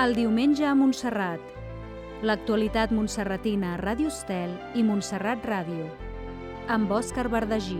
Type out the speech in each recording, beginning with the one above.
El diumenge a Montserrat. L'actualitat montserratina a Ràdio Estel i Montserrat Ràdio. Amb Òscar Verdagí.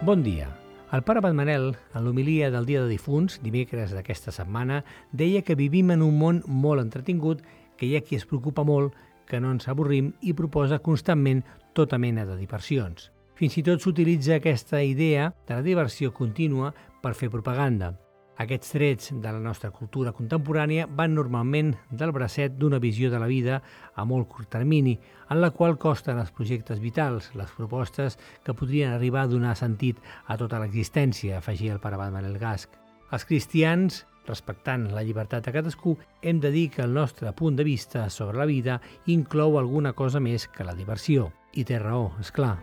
Bon dia. El pare Abat Manel, en l'homilia del Dia de Difunts, dimecres d'aquesta setmana, deia que vivim en un món molt entretingut, que hi ha qui es preocupa molt, que no ens avorrim i proposa constantment tota mena de diversions. Fins i tot s'utilitza aquesta idea de la diversió contínua per fer propaganda. Aquests trets de la nostra cultura contemporània van normalment del bracet d'una visió de la vida a molt curt termini, en la qual costen els projectes vitals, les propostes que podrien arribar a donar sentit a tota l'existència, afegia el pare Abat Manel Gasch. Els cristians, respectant la llibertat de cadascú, hem de dir que el nostre punt de vista sobre la vida inclou alguna cosa més que la diversió. I té raó, és clar.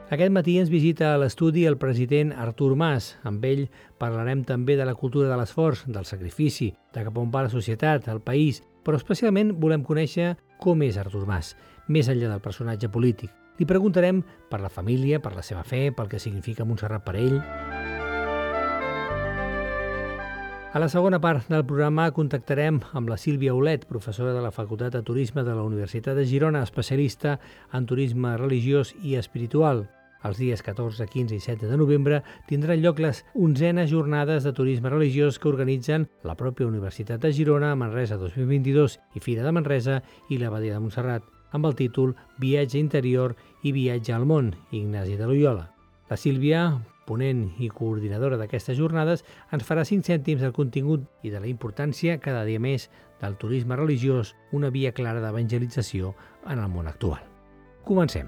Aquest matí ens visita a l'estudi el president Artur Mas. Amb ell parlarem també de la cultura de l'esforç, del sacrifici, de cap on va la societat, el país, però especialment volem conèixer com és Artur Mas, més enllà del personatge polític. Li preguntarem per la família, per la seva fe, pel que significa Montserrat per ell. A la segona part del programa contactarem amb la Sílvia Olet, professora de la Facultat de Turisme de la Universitat de Girona, especialista en turisme religiós i espiritual. Els dies 14, 15 i 16 de novembre tindran lloc les 11enes jornades de turisme religiós que organitzen la pròpia Universitat de Girona, Manresa 2022 i Fira de Manresa i l'Abadia de Montserrat, amb el títol Viatge interior i viatge al món, Ignasi de Loyola. La Sílvia, ponent i coordinadora d'aquestes jornades, ens farà 5 cèntims del contingut i de la importància cada dia més del turisme religiós, una via clara d'evangelització en el món actual. Comencem.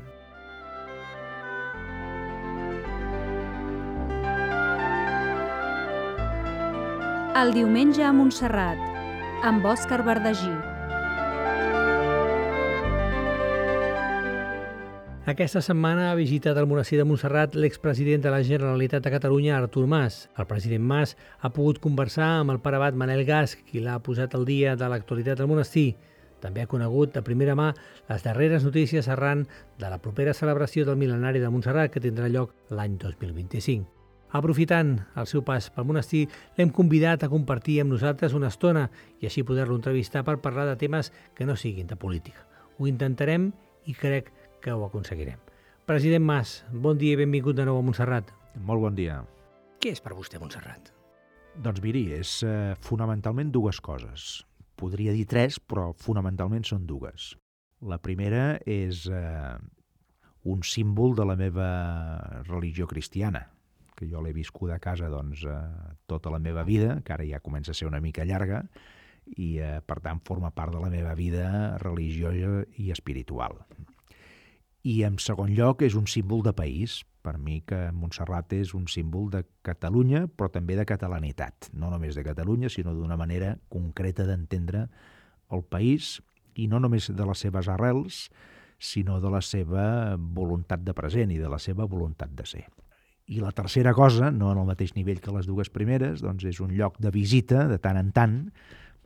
El diumenge a Montserrat, amb Òscar Verdagí. Aquesta setmana ha visitat el monestir de Montserrat l'expresident de la Generalitat de Catalunya, Artur Mas. El president Mas ha pogut conversar amb el pare Abat Manel Gasch, qui l'ha posat al dia de l'actualitat del monestir. També ha conegut de primera mà les darreres notícies arran de la propera celebració del mil·lenari de Montserrat, que tindrà lloc l'any 2025. Aprofitant el seu pas pel monestir, l'hem convidat a compartir amb nosaltres una estona i així poder-lo entrevistar per parlar de temes que no siguin de política. Ho intentarem i crec que ho aconseguirem. President Mas, bon dia i benvingut de nou a Montserrat. Molt bon dia. Què és per vostè Montserrat? Doncs miri, és fonamentalment dues coses. Podria dir tres, però fonamentalment són dues. La primera és un símbol de la meva religió cristiana, que jo l'he viscut a casa tota la meva vida, que ara ja comença a ser una mica llarga, i per tant forma part de la meva vida religiosa i espiritual. I en segon lloc és un símbol de país. Per mi que Montserrat és un símbol de Catalunya, però també de catalanitat. No només de Catalunya, sinó d'una manera concreta d'entendre el país, i no només de les seves arrels, sinó de la seva voluntat de present i de la seva voluntat de ser. I la tercera cosa, no en el mateix nivell que les dues primeres, doncs és un lloc de visita de tant en tant,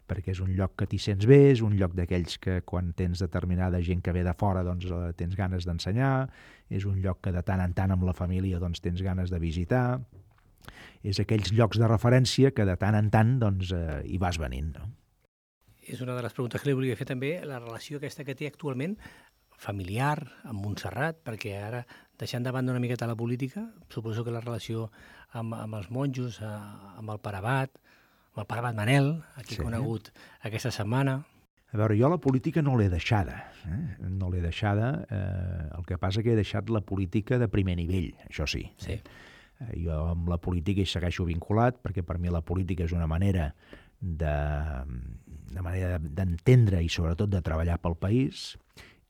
perquè és un lloc que t'hi sents bé, és un lloc d'aquells que quan tens determinada gent que ve de fora doncs tens ganes d'ensenyar, és un lloc que de tant en tant amb la família doncs tens ganes de visitar, és aquells llocs de referència que de tant en tant doncs hi vas venint, no? És una de les preguntes que li volia fer també, la relació aquesta que té actualment familiar amb Montserrat, perquè ara, deixant de banda una miqueta la política, suposo que la relació amb els monjos, amb el pare Abat, amb el pare Abat Manel, aquí conegut aquesta setmana. A veure, jo la política no l'he deixada, no l'he deixada, el que passa que he deixat la política de primer nivell, això sí. Sí. Jo amb la política hi segueixo vinculat, perquè per mi la política és una manera d'entendre i sobretot de treballar pel país,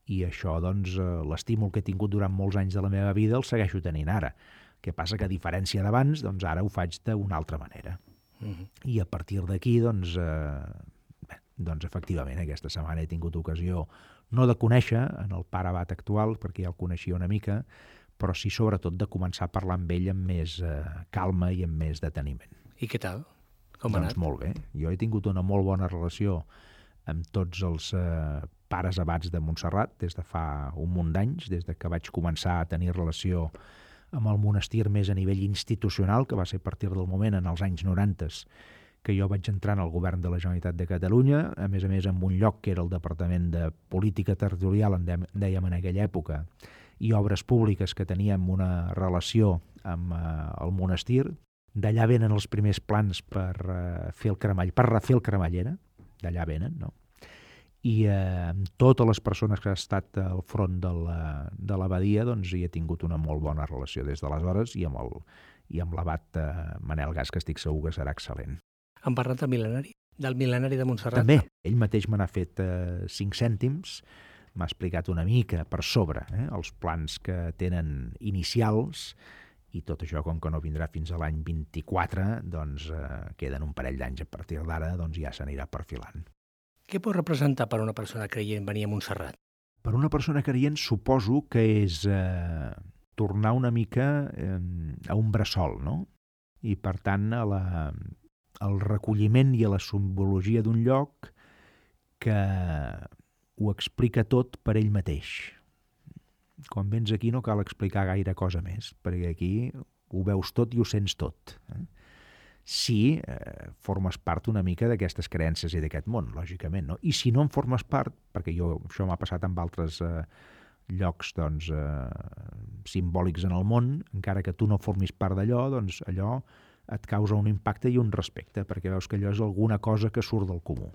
i això, doncs, l'estímul que he tingut durant molts anys de la meva vida el segueixo tenint ara. El que passa que, a diferència d'abans, doncs ara ho faig d'una altra manera. I a partir d'aquí, doncs efectivament, aquesta setmana he tingut ocasió no de conèixer en el pare Abat actual, perquè ja el coneixia una mica, però sí, sobretot, de començar a parlar amb ell amb més calma i amb més deteniment. I què tal? Com ha anat? Doncs molt bé. Jo he tingut una molt bona relació amb tots els pares abats de Montserrat des de fa un munt d'anys, des de que vaig començar a tenir relació amb el monestir més a nivell institucional, que va ser a partir del moment, en els anys 90, que jo vaig entrar en el govern de la Generalitat de Catalunya, a més en un lloc que era el Departament de Política Territorial, en dèiem en aquella època, i obres públiques, que teníem una relació amb el monestir. D'allà venen els primers plans per fer el cremall, per refer el cremallera, d'allà venen, no? I amb totes les persones que han estat al front de l'abadia, doncs hi he tingut una molt bona relació des d'aleshores, i amb l'abat Manel Gas, que estic segur que serà excel·lent. Han parlat del mil·lenari de Montserrat? També. Ell mateix me n'ha fet 5 cèntims, m'ha explicat una mica per sobre els plans que tenen inicials, i tot això, com que no vindrà fins a l'any 24, doncs queden un parell d'anys a partir d'ara, doncs ja s'anirà perfilant. Què pot representar per a una persona creient venir a Montserrat? Per una persona creient suposo que és tornar una mica a un bressol, no? I per tant al recolliment i a la simbologia d'un lloc que ho explica tot per ell mateix. Quan vens aquí no cal explicar gaire cosa més, perquè aquí ho veus tot i ho sents tot. Si formes part una mica d'aquestes creences i d'aquest món, lògicament, no? I si no en formes part, perquè això m'ha passat amb altres llocs doncs, simbòlics en el món, encara que tu no formis part d'allò, doncs allò et causa un impacte i un respecte, perquè veus que allò és alguna cosa que surt del comú.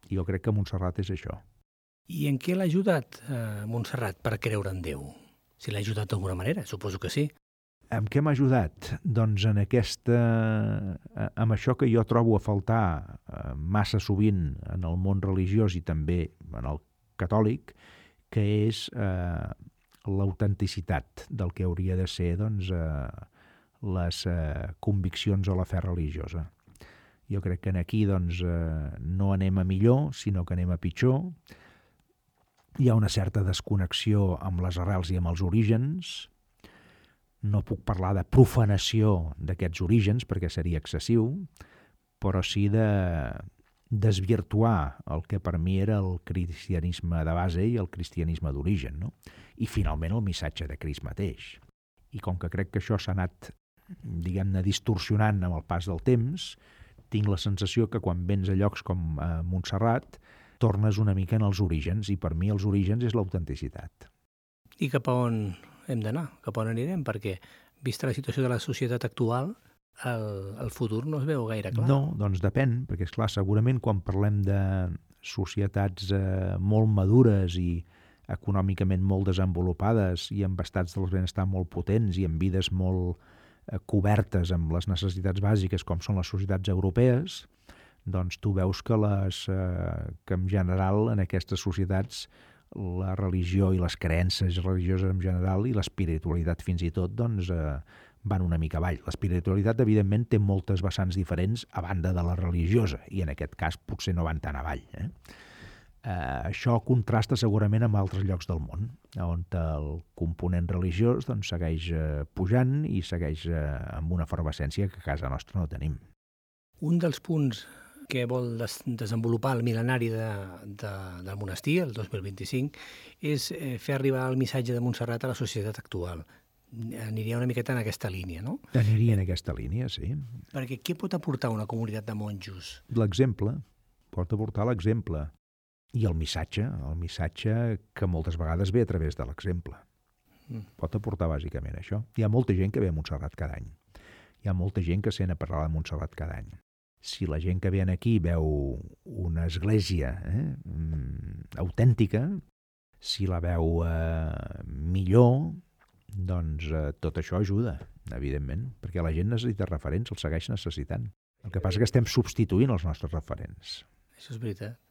I jo crec que Montserrat és això. I en què l'ha ajudat Montserrat per creure en Déu? Si l'ha ajudat d'alguna manera, suposo que sí. En què m'ha ajudat? Doncs amb això que jo trobo a faltar massa sovint en el món religiós i també en el catòlic, que és l'autenticitat del que hauria de ser doncs, les conviccions o la fe religiosa. Jo crec que aquí doncs, no anem a millor, sinó que anem a pitjor. Hi ha una certa desconnexió amb les arrels i amb els orígens. No puc parlar de profanació d'aquests orígens, perquè seria excessiu, però sí de desvirtuar el que per mi era el cristianisme de base i el cristianisme d'origen, no? I finalment el missatge de Crist mateix. I com que crec que això s'ha anat, diguem-ne, distorsionant amb el pas del temps, tinc la sensació que quan vens a llocs com Montserrat tornes una mica en els orígens, i per mi els orígens és l'autenticitat. I cap a on hem d'anar? Cap a on anirem? Perquè, vista la situació de la societat actual, el futur no es veu gaire clar. No, doncs depèn, perquè esclar, segurament quan parlem de societats molt madures i econòmicament molt desenvolupades i amb estats del benestar molt potents i amb vides molt cobertes amb les necessitats bàsiques com són les societats europees, doncs tu veus que en general en aquestes societats la religió i les creences religioses en general i l'espiritualitat fins i tot doncs, van una mica avall. L'espiritualitat, evidentment, té moltes vessants diferents a banda de la religiosa i en aquest cas potser no van tan avall. Això contrasta segurament amb altres llocs del món, on el component religiós doncs, segueix pujant i segueix amb una efervescència que a casa nostra no tenim. Un dels punts que vol desenvolupar el mil·lenari del monestir, el 2025, és fer arribar el missatge de Montserrat a la societat actual. Aniria una miqueta en aquesta línia, no? Aniria en aquesta línia, sí. Perquè què pot aportar una comunitat de monjos? L'exemple, pot aportar l'exemple. I el missatge que moltes vegades ve a través de l'exemple. Pot aportar bàsicament això. Hi ha molta gent que ve a Montserrat cada any. Hi ha molta gent que sent a parlar de Montserrat cada any. Si la gent que ve aquí veu una església autèntica, si la veu millor, doncs tot això ajuda, evidentment, perquè la gent necessita referents, els segueix necessitant. El que passa és que estem substituint els nostres referents. Això és veritat.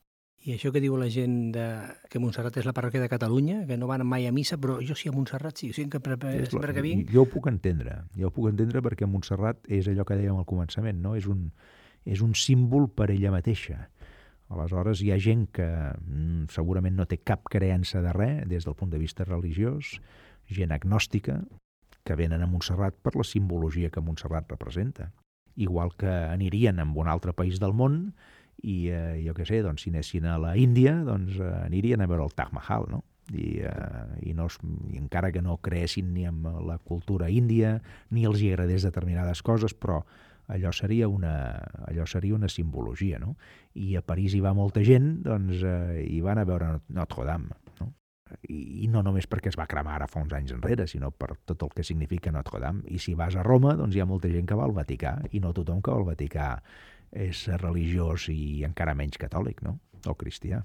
I això que diu la gent que Montserrat és la parròquia de Catalunya, que no van mai a missa, però jo sí a Montserrat sí, sempre que vinc... Jo ho puc entendre perquè Montserrat és allò que dèiem al començament, no? És un símbol per ella mateixa. Aleshores hi ha gent que segurament no té cap creença de res des del punt de vista religiós, gent agnòstica, que venen a Montserrat per la simbologia que Montserrat representa. Igual que anirien a un altre país del món i jo què sé, doncs, si anessin a la Índia, doncs anirien a veure el Taj Mahal, no? I encara que no creessin ni en la cultura índia, ni els hi agradés determinades coses, però allò seria una simbologia, no? I a París hi va molta gent, doncs hi van a veure Notre Dame, no? I no només perquè es va cremar ara fa uns anys enrere, sinó per tot el que significa Notre Dame. I si vas a Roma, doncs hi ha molta gent que va al Vaticà, i no tothom que va al Vaticà és religiós i encara menys catòlic, no? O cristià.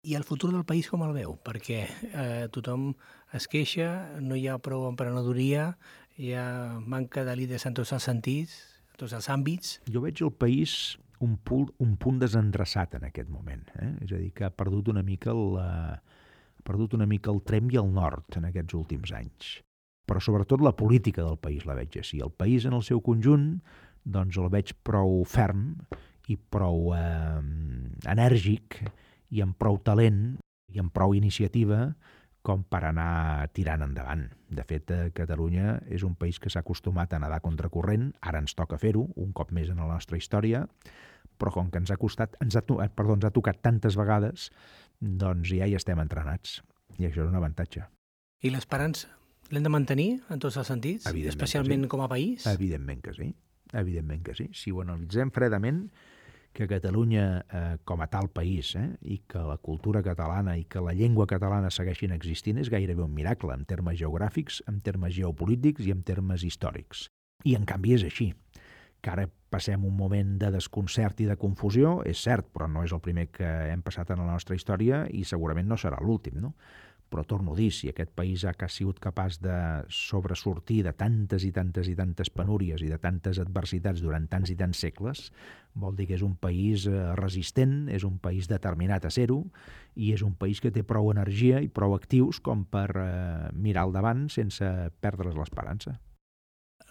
I el futur del país com el veu? Perquè tothom es queixa, no hi ha prou emprenedoria, hi ha manca de líders en tots els sentits, en tots els àmbits. Jo veig el país un punt desendreçat en aquest moment. És a dir, que ha perdut una mica el tremp i el nord en aquests últims anys. Però sobretot la política del país la veig així. El país en el seu conjunt doncs el veig prou ferm i prou enèrgic i amb prou talent i amb prou iniciativa com per anar tirant endavant. De fet, Catalunya és un país que s'ha acostumat a nedar contracorrent, ara ens toca fer-ho, un cop més en la nostra història, però com que ens ha tocat tantes vegades, doncs ja hi estem entrenats, i això és un avantatge. I l'esperança l'hem de mantenir en tots els sentits, especialment com a país? Evidentment que sí, evidentment que sí. Si ho analitzem fredament, que Catalunya com a tal país i que la cultura catalana i que la llengua catalana segueixin existint és gairebé un miracle en termes geogràfics, en termes geopolítics i en termes històrics. I en canvi és així. Que ara passem un moment de desconcert i de confusió, és cert, però no és el primer que hem passat en la nostra història i segurament no serà l'últim, no? Però torno a dir, si aquest país ha sigut capaç de sobresortir de tantes i tantes i tantes penúries i de tantes adversitats durant tants i tants segles, vol dir que és un país resistent, és un país determinat a ser-ho i és un país que té prou energia i prou actius com per mirar al davant sense perdre's l'esperança.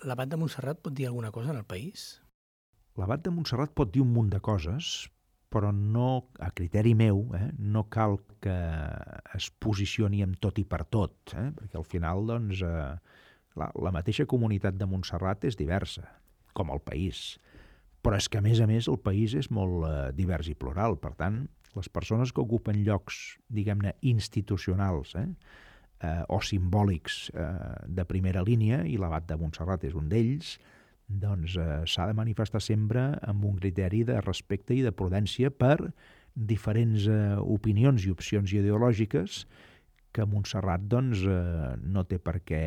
L'Abat de Montserrat pot dir alguna cosa en el país? L'Abat de Montserrat pot dir un munt de coses, però no, a criteri meu, no cal que es posicioni amb tot i per tot, perquè al final doncs, la mateixa comunitat de Montserrat és diversa, com el país. Però és que, a més, el país és molt divers i plural. Per tant, les persones que ocupen llocs, diguem-ne, institucionals o simbòlics de primera línia, i l'Abat de Montserrat és un d'ells, doncs s'ha de manifestar sempre amb un criteri de respecte i de prudència per diferents opinions i opcions ideològiques que Montserrat doncs, no té per què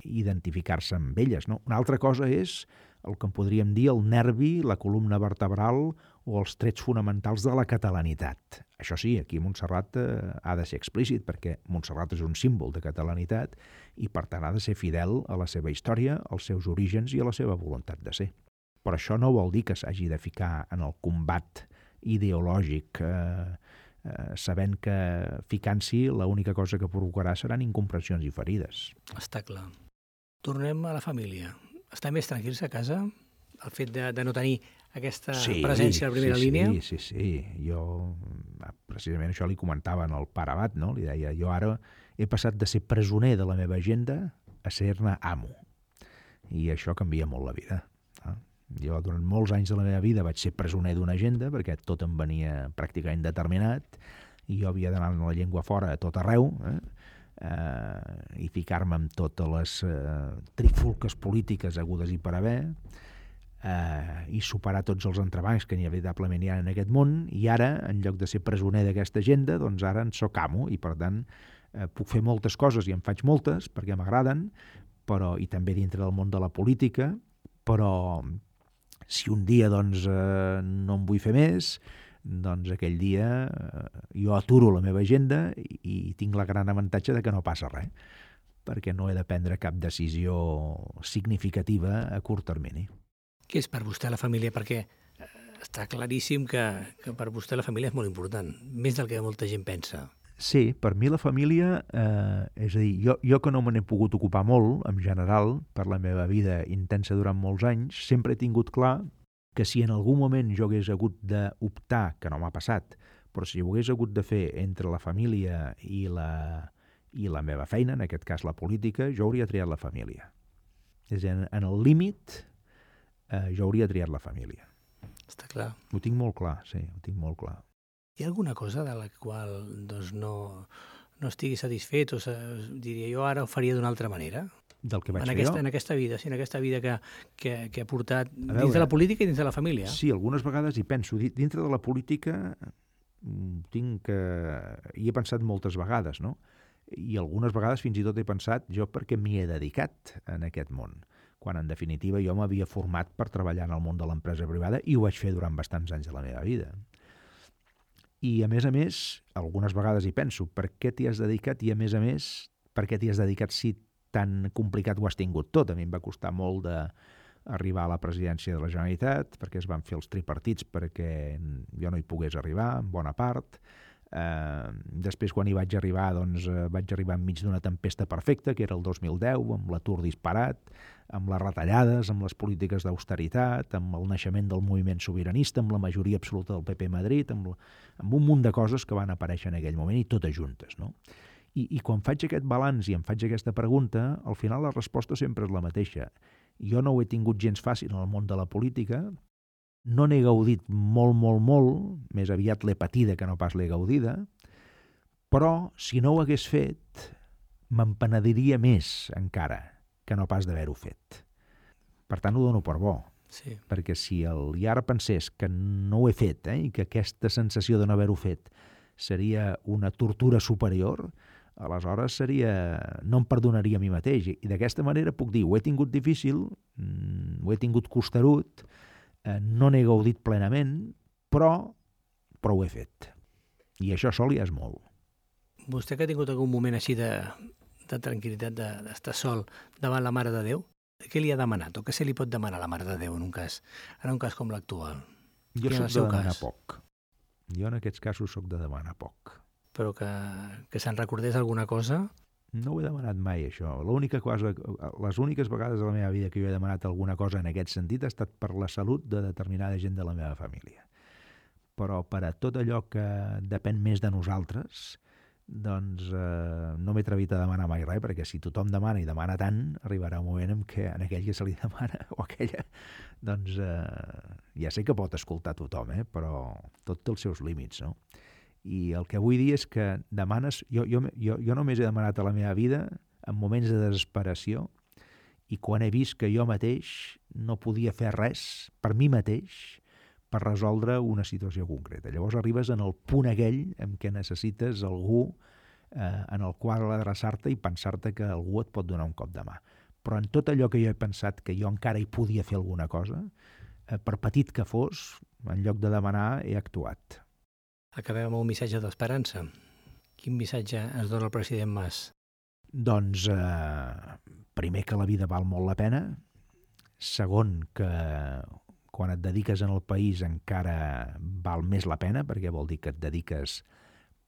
identificar-se amb elles. No? Una altra cosa és el que en podríem dir el nervi, la columna vertebral o els trets fonamentals de la catalanitat. Això sí, aquí Montserrat ha de ser explícit, perquè Montserrat és un símbol de catalanitat i per tant ha de ser fidel a la seva història, als seus orígens i a la seva voluntat de ser. Però això no vol dir que s'hagi de ficar en el combat ideològic, sabent que ficant-s'hi l'única cosa que provocarà seran incomprensions i ferides. Està clar. Tornem a la família. Està més tranquils a casa? El fet de no tenir aquesta presència a la primera línia? Sí. Jo, precisament això li comentava al pare Abat, no? Li deia, jo ara he passat de ser presoner de la meva agenda a ser-ne amo. I això canvia molt la vida. Jo durant molts anys de la meva vida vaig ser presoner d'una agenda perquè tot em venia pràcticament determinat i jo havia d'anar amb la llengua fora a tot arreu i ficar-me amb totes les trifulques polítiques hagudes i per haver i superar tots els entrebancs que inevitablement hi ha en aquest món, i ara, en lloc de ser presoner d'aquesta agenda, doncs ara en soc amo i per tant puc fer moltes coses i en faig moltes perquè m'agraden, però i també dintre del món de la política, però si un dia doncs, no en vull fer més, doncs aquell dia jo aturo la meva agenda i tinc la gran avantatge de que no passa res, perquè no he de prendre cap decisió significativa a curt termini. Què és per vostè la família? Perquè està claríssim que per vostè la família és molt important, més del que molta gent pensa. Sí, per mi la família, és a dir, jo que no me n'he pogut ocupar molt, en general, per la meva vida intensa durant molts anys, sempre he tingut clar que si en algun moment jo hagués hagut d'optar, que no m'ha passat, però si ho hagués hagut de fer entre la família i la meva feina, en aquest cas la política, jo hauria triat la família. És a dir, en el límit, jo hauria triat la família. Està clar. Ho tinc molt clar, sí, ho tinc molt clar. Hi ha alguna cosa de la qual doncs, no estigui satisfet o diria jo ara ho faria d'una altra manera? Del que vaig fer jo? En aquesta vida, sí, en aquesta vida que ha portat veure, dins de la política i dins de la família. Sí, algunes vegades hi penso. Dintre de la política hi he pensat moltes vegades, no? I algunes vegades fins i tot he pensat jo perquè m'hi he dedicat en aquest món, quan en definitiva jo m'havia format per treballar en el món de l'empresa privada i ho vaig fer durant bastants anys de la meva vida. I a més, algunes vegades hi penso, per què t'hi has dedicat i a més, per què t'hi has dedicat si tan complicat ho has tingut tot? A mi em va costar molt d'arribar a la presidència de la Generalitat, perquè es van fer els tripartits perquè jo no hi pogués arribar, en bona part. Després, quan hi vaig arribar, doncs vaig arribar enmig d'una tempesta perfecta, que era el 2010, amb l'atur disparat, amb les retallades, amb les polítiques d'austeritat, amb el naixement del moviment sobiranista, amb la majoria absoluta del PP a Madrid, amb un munt de coses que van aparèixer en aquell moment i totes juntes, no? I quan faig aquest balanç i em faig aquesta pregunta, al final la resposta sempre és la mateixa. Jo no ho he tingut gens fàcil en el món de la política, no n'he gaudit molt, més aviat l'he patida que no pas l'he gaudida, però si no ho hagués fet, m'empenediria més encara que no pas d'haver-ho fet. Per tant, ho dono per bo. Sí. Perquè si i ara pensés que no ho he fet i que aquesta sensació de no haver-ho fet seria una tortura superior, aleshores no em perdonaria a mi mateix. I d'aquesta manera puc dir, ho he tingut difícil, ho he tingut costerut, no n'he gaudit plenament, però ho he fet. I això sol ja és molt. Vostè que ha tingut algun moment així de tranquil·litat, d'estar sol davant la Mare de Déu, què li ha demanat o què se li pot demanar a la Mare de Déu en un cas com l'actual? Jo soc de demanar poc. Jo en aquests casos soc de demanar poc. Però que se'n recordés alguna cosa? No ho he demanat mai, això. Les úniques vegades de la meva vida que jo he demanat alguna cosa en aquest sentit ha estat per la salut de determinada gent de la meva família. Però per a tot allò que depèn més de nosaltres, doncs no m'he atrevit a demanar mai res, perquè si tothom demana i demana tant, arribarà un moment en què en aquell que se li demana o aquella, doncs ja sé que pot escoltar tothom, però tot té els seus límits, no? I el que vull dir és que demanes... Jo només he demanat a la meva vida en moments de desesperació i quan he vist que jo mateix no podia fer res per mi mateix per resoldre una situació concreta. Llavors arribes en el punt aquell en què necessites algú en el qual adreçar-te i pensar-te que algú et pot donar un cop de mà. Però en tot allò que jo he pensat que jo encara hi podia fer alguna cosa, per petit que fos, en lloc de demanar, he actuat. Acabem amb un missatge d'esperança. Quin missatge ens dona el president Mas? Doncs, primer, que la vida val molt la pena. Segon, que quan et dediques en el país encara val més la pena, perquè vol dir que et dediques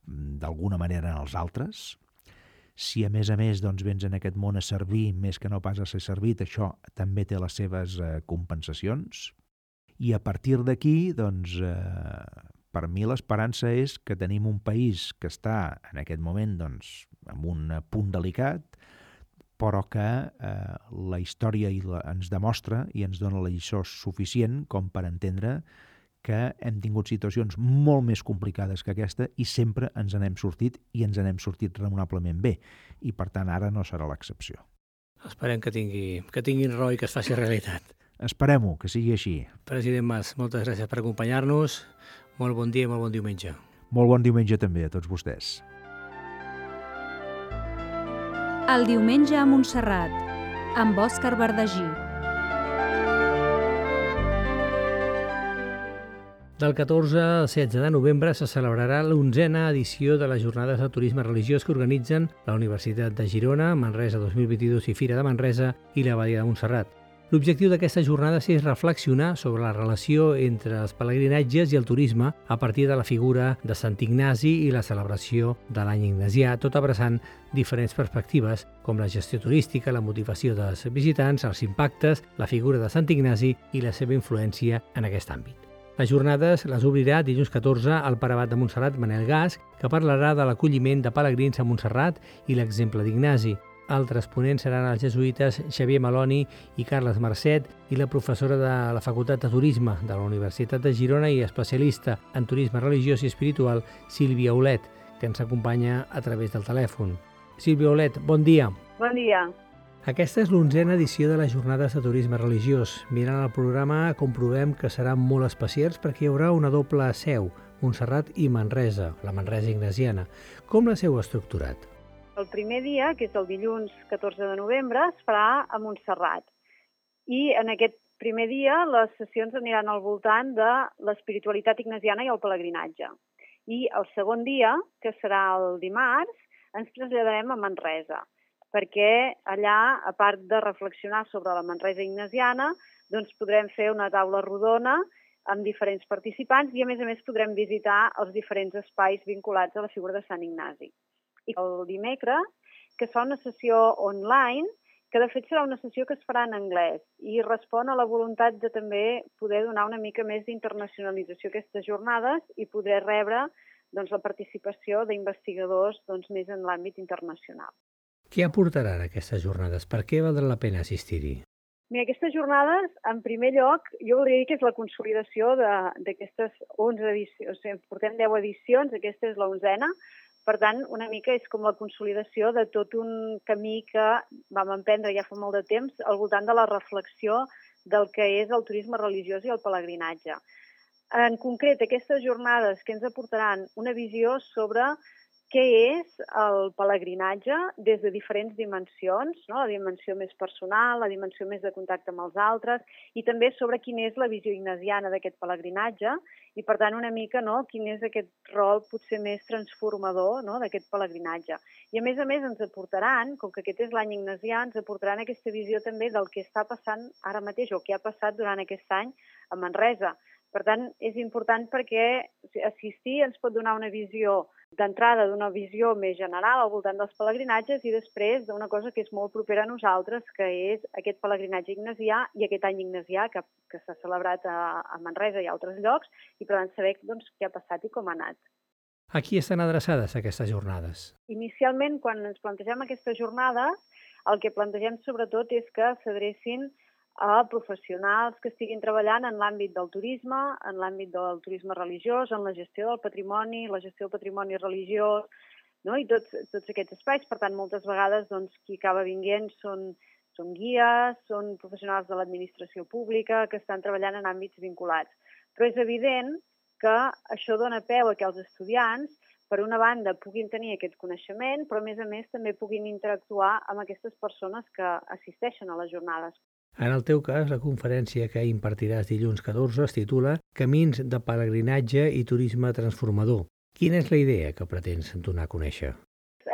d'alguna manera als altres. Si a més doncs, vens en aquest món a servir més que no pas a ser servit, això també té les seves compensacions. I a partir d'aquí, doncs, per mi l'esperança és que tenim un país que està en aquest moment doncs, en un punt delicat, però que la història ens demostra i ens dona la lliçó suficient com per entendre que hem tingut situacions molt més complicades que aquesta i sempre ens n'hem sortit i ens n'hem sortit raonablement bé. I per tant ara no serà l'excepció. Esperem que tinguin raó i que es faci realitat. Esperem-ho, que sigui així. President Mas, moltes gràcies per acompanyar-nos. Molt bon dia i molt bon diumenge. Molt bon diumenge també a tots vostès. El diumenge a Montserrat, amb Òscar Verdagí. Del 14 al 16 de novembre se celebrarà l'11a edició de les Jornades de Turisme Religiós que organitzen la Universitat de Girona, Manresa 2022 i Fira de Manresa i l'Abadia de Montserrat. L'objectiu d'aquestes jornades és reflexionar sobre la relació entre els pelegrinatges i el turisme a partir de la figura de Sant Ignasi i la celebració de l'any ignasià, tot abraçant diferents perspectives com la gestió turística, la motivació dels visitants, els impactes, la figura de Sant Ignasi i la seva influència en aquest àmbit. Les jornades les obrirà dilluns 14 al pare abat de Montserrat, Manel Gas, que parlarà de l'acolliment de pelegrins a Montserrat i l'exemple d'Ignasi. Altres ponents seran els jesuïtes Xavier Maloni i Carles Marcet i la professora de la Facultat de Turisme de la Universitat de Girona i especialista en turisme religiós i espiritual, Sílvia Olet, que ens acompanya a través del telèfon. Sílvia Olet, bon dia. Bon dia. Aquesta és l'11a edició de les Jornades de Turisme Religiós. Mirant el programa comprovem que seran molt especials perquè hi haurà una doble seu, Montserrat i Manresa, la Manresa ignasiana. Com la seu estructurat? El primer dia, que és el dilluns 14 de novembre, es farà a Montserrat. I en aquest primer dia les sessions aniran al voltant de l'espiritualitat ignasiana i el pelegrinatge. I el segon dia, que serà el dimarts, ens traslladarem a Manresa, perquè allà, a part de reflexionar sobre la Manresa ignasiana, doncs podrem fer una taula rodona amb diferents participants i, a més, podrem visitar els diferents espais vinculats a la figura de Sant Ignasi. I el dimecres, que es fa una sessió online, que de fet serà una sessió que es farà en anglès i respon a la voluntat de també poder donar una mica més d'internacionalització a aquestes jornades i poder rebre la participació d'investigadors més en l'àmbit internacional. Què aportaran aquestes jornades? Per què valdrà la pena assistir-hi? Mira, aquestes jornades, en primer lloc, jo voldria dir que és la consolidació d'aquestes 11 edicions. O sigui, portem 10 edicions, aquesta és l'11a. Per tant, una mica és com la consolidació de tot un camí que vam emprendre ja fa molt de temps al voltant de la reflexió del que és el turisme religiós i el pelegrinatge. En concret, aquestes jornades que ens aportaran una visió sobre què és el pelegrinatge des de diferents dimensions, no? La dimensió més personal, la dimensió més de contacte amb els altres i també sobre quina és la visió ignasiana d'aquest pelegrinatge i, per tant, una mica quin és aquest rol potser més transformador d'aquest pelegrinatge. I, a més, ens aportaran, com que aquest és l'any ignasià, ens aportaran aquesta visió també del que està passant ara mateix o què ha passat durant aquest any a Manresa. Per tant, és important perquè assistir ens pot donar una visió d'entrada d'una visió més general al voltant dels pelegrinatges i després d'una cosa que és molt propera a nosaltres, que és aquest pelegrinatge ignasià i aquest any ignasià que s'ha celebrat a Manresa i a altres llocs i per tant saber què ha passat i com ha anat. A qui estan adreçades aquestes jornades? Inicialment, quan ens plantegem aquestes jornades, el que plantegem sobretot és que s'adrecin a professionals que estiguin treballant en l'àmbit del turisme, en l'àmbit del turisme religiós, en la gestió del patrimoni, la gestió del patrimoni religiós, i tots aquests espais. Per tant, moltes vegades qui acaba vinguent són guies, són professionals de l'administració pública que estan treballant en àmbits vinculats. Però és evident que això dona peu a que els estudiants, per una banda, puguin tenir aquest coneixement, però a més també puguin interactuar amb aquestes persones que assisteixen a les jornades. En el teu cas, la conferència que impartiràs dilluns 14 es titula Camins de pelegrinatge i turisme transformador. Quina és la idea que pretens donar a conèixer?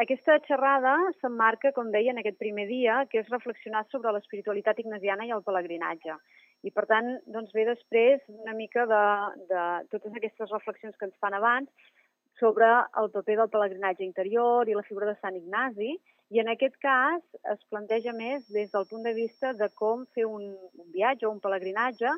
Aquesta xerrada s'emmarca, com deia, en aquest primer dia, que és reflexionar sobre l'espiritualitat ignasiana i el pelegrinatge. I, per tant, ve després una mica de totes aquestes reflexions que ens fan abans sobre el paper del pelegrinatge interior i la figura de Sant Ignasi, i en aquest cas es planteja més des del punt de vista de com fer un viatge o un pelegrinatge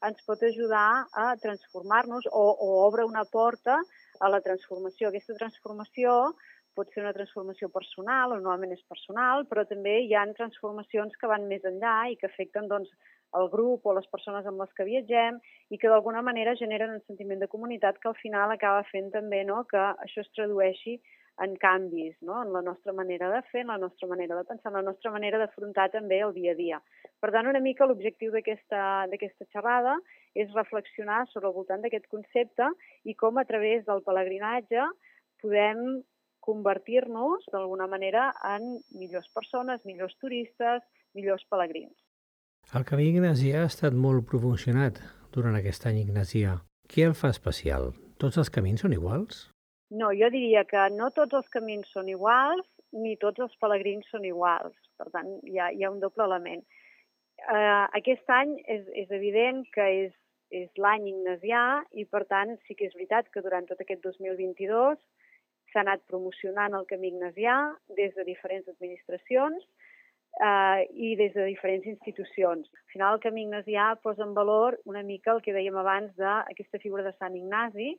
ens pot ajudar a transformar-nos o obre una porta a la transformació. Aquesta transformació pot ser una transformació personal, o normalment és personal, però també hi ha transformacions que van més enllà i que afecten el grup o les persones amb les que viatgem i que d'alguna manera generen un sentiment de comunitat que al final acaba fent també que això es tradueixi en canvis, en la nostra manera de fer, en la nostra manera de pensar, en la nostra manera d'afrontar també el dia a dia. Per tant, una mica l'objectiu d'aquesta xerrada és reflexionar sobre el voltant d'aquest concepte i com a través del pelegrinatge podem convertir-nos d'alguna manera en millors persones, millors turistes, millors pelegrins. El camí ignasià ha estat molt promocionat durant aquest any ignasià. Què el fa especial? Tots els camins són iguals? No, jo diria que no tots els camins són iguals ni tots els pelegrins són iguals. Per tant, hi ha un doble element. Aquest any és evident que és l'any ignasià i, per tant, sí que és veritat que durant tot aquest 2022 s'ha anat promocionant el camí ignasià des de diferents administracions i des de diferents institucions. Al final, el camí ignasià posa en valor una mica el que dèiem abans d'aquesta figura de Sant Ignasi.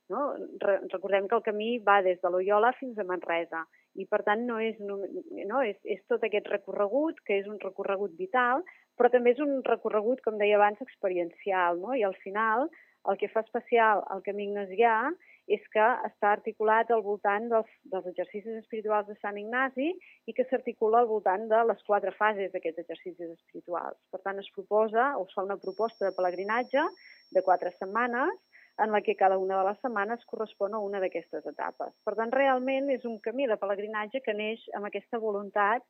Recordem que el camí va des de Loiola fins a Manresa I, per tant, és tot aquest recorregut, que és un recorregut vital, però també és un recorregut, com deia abans, experiencial, no? I al final el que fa especial el camí ignasià és que està articulat al voltant dels exercicis espirituals de Sant Ignasi i que s'articula al voltant de les 4 fases d'aquests exercicis espirituals. Per tant, es fa una proposta de pelegrinatge de 4 setmanes en la que cada una de les setmanes correspon a una d'aquestes etapes. Per tant, realment és un camí de pelegrinatge que neix amb aquesta voluntat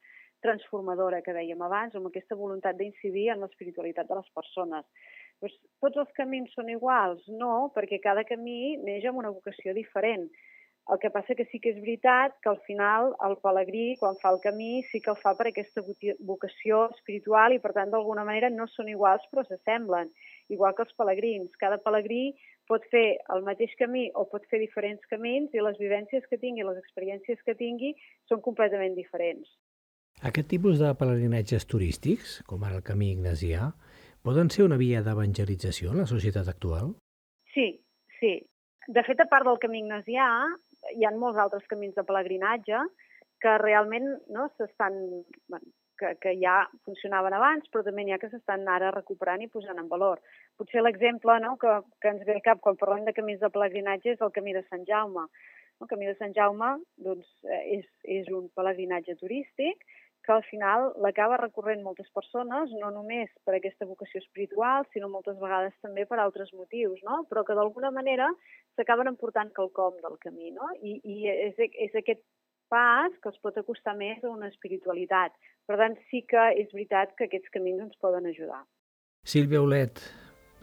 transformadora que dèiem abans, amb aquesta voluntat d'incidir en l'espiritualitat de les persones. Doncs, tots els camins són iguals? No, perquè cada camí neix amb una vocació diferent. El que passa que sí que és veritat que al final el pelegrí, quan fa el camí, sí que el fa per aquesta vocació espiritual i, per tant, d'alguna manera no són iguals però s'assemblen. Igual que els pelegrins. Cada pelegrí pot fer el mateix camí o pot fer diferents camins i les vivències que tingui, les experiències que tingui, són completament diferents. Aquest tipus de pelegrinatges turístics, com ara el camí ignasià, poden ser una via d'evangelització en la societat actual? Sí. De fet, a part del camí ignasià, hi ha molts altres camins de pelegrinatge que realment que ja funcionaven abans, però també n'hi ha que s'estan ara recuperant i posant en valor. Potser l'exemple que ens ve al cap quan parlem de camins de pelegrinatge és el camí de Sant Jaume. El camí de Sant Jaume és un pelegrinatge turístic que al final l'acaba recorrent moltes persones, no només per aquesta vocació espiritual, sinó moltes vegades també per altres motius, no? Però que d'alguna manera s'acaben emportant quelcom del camí, no? I és aquest pas que els pot acostar més a una espiritualitat. Per tant, sí que és veritat que aquests camins ens poden ajudar. Sílvia Aulet,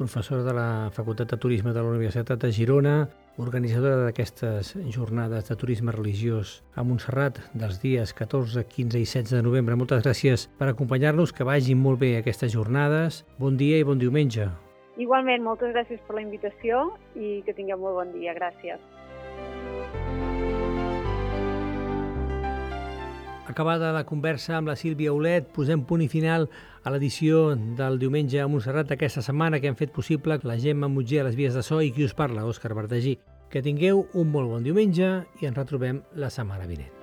professora de la Facultat de Turisme de la Universitat de Girona, organitzadora d'aquestes jornades de turisme religiós a Montserrat dels dies 14, 15 i 16 de novembre. Moltes gràcies per acompanyar-nos, que vagin molt bé aquestes jornades. Bon dia i bon diumenge. Igualment, moltes gràcies per la invitació i que tingueu molt bon dia. Gràcies. Acabada la conversa amb la Sílvia Aulet, posem punt i final a l'edició del diumenge a Montserrat d'aquesta setmana que han fet possible la Gemma Mutger a les vies de so i qui us parla, Òscar Bardagí. Que tingueu un molt bon diumenge i ens retrobem la setmana vinent.